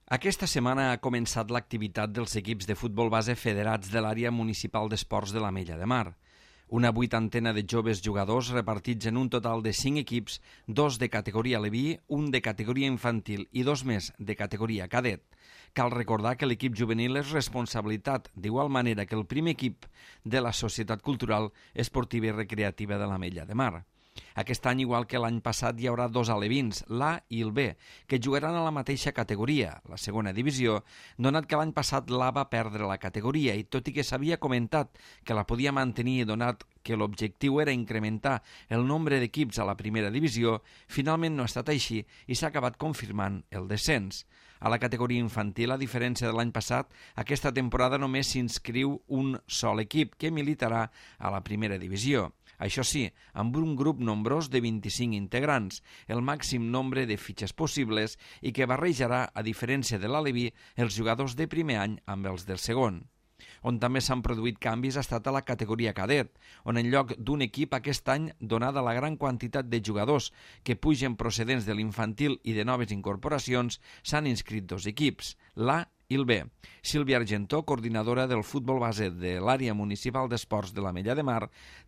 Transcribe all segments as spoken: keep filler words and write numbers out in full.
Aquesta setmana ha començat l'activitat dels equips de futbol base federats de l'àrea municipal d'esports de l'Ametlla de Mar. Una vuitantena de joves jugadors repartits en un total de cinc equips, dos de categoria aleví, un de categoria infantil i dos més de categoria cadet. Cal recordar que l'equip juvenil és responsabilitat, d'igual manera que el primer equip de la Societat Cultural Esportiva i Recreativa de l'Ametlla de Mar. Aquest any, igual que l'any passat, hi haurà dos alevins, l'A i el B, que jugaran a la mateixa categoria, la segona divisió, donat que l'any passat l'A va perdre la categoria i tot i que s'havia comentat que la podia mantenir donat que l'objectiu era incrementar el nombre d'equips a la primera divisió, finalment no ha estat així i s'ha acabat confirmant el descens. A la categoria infantil, a diferència de l'any passat, aquesta temporada només s'inscriu un sol equip que militarà a la primera divisió. Això sí, amb un grup nombrós de vint-i-cinc integrants, el màxim nombre de fitxes possibles i que barrejarà, a diferència de l'aleví, els jugadors de primer any amb els del segon. On també s'han produït canvis ha estat a la categoria cadet, on en lloc d'un equip aquest any, donada la gran quantitat de jugadors que pugen procedents de l'infantil i de noves incorporacions, s'han inscrit dos equips, l'A i el B. Sílvia Argentó, coordinadora del futbol base de l'àrea municipal d'esports de l'Ametlla de Mar,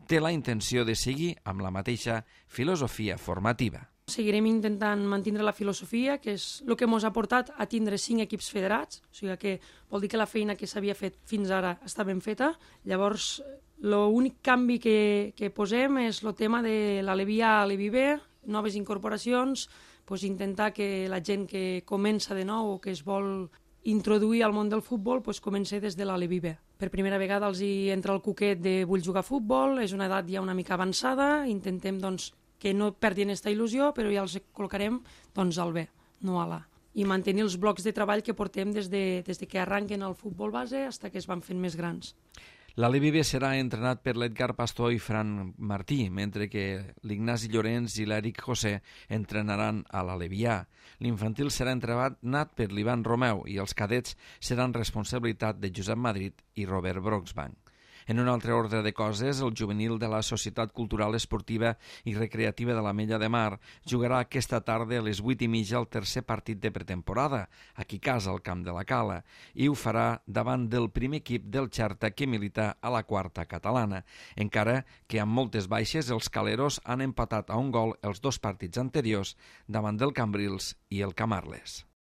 té la intenció de seguir amb la mateixa filosofia formativa. Seguirem intentant mantenir la filosofia, que és el que ens ha portat a tindre cinc equips federats, o sigui que vol dir que la feina que s'havia fet fins ara està ben feta. Llavors, l'únic canvi que, que posem és el tema de l'aleví A a l'aleví B, noves incorporacions, doncs intentar que la gent que comença de nou o que es vol introduir al món del futbol doncs comença des de l'aleví B. Per primera vegada els hi entra el coquet de vull jugar a futbol, és una edat ja una mica avançada, intentem doncs, que no perdin aquesta il·lusió, però ja els col·locarem doncs, al B, no a l'A. I mantenir els blocs de treball que portem des de, des de que arranquen el futbol base fins que es van fent més grans. L'aleví B serà entrenat per l'Edgar Pastor i Fran Martí, mentre que l'Ignasi Llorenç i l'Eric José entrenaran a l'aleví A. L'infantil serà entrenat per l'Ivan Romeu i els cadets seran responsabilitat de Josep Madrid i Robert Broxbank. En un altre ordre de coses, el juvenil de la Societat Cultural Esportiva i Recreativa de l'Ametlla de Mar jugarà aquesta tarda a les vuit i mitja el tercer partit de pretemporada, aquí a casa, al Camp de la Cala, i ho farà davant del primer equip del Xerta que milita a la quarta catalana, encara que amb moltes baixes els caleros han empatat a un gol els dos partits anteriors davant del Cambrils i el Camarles.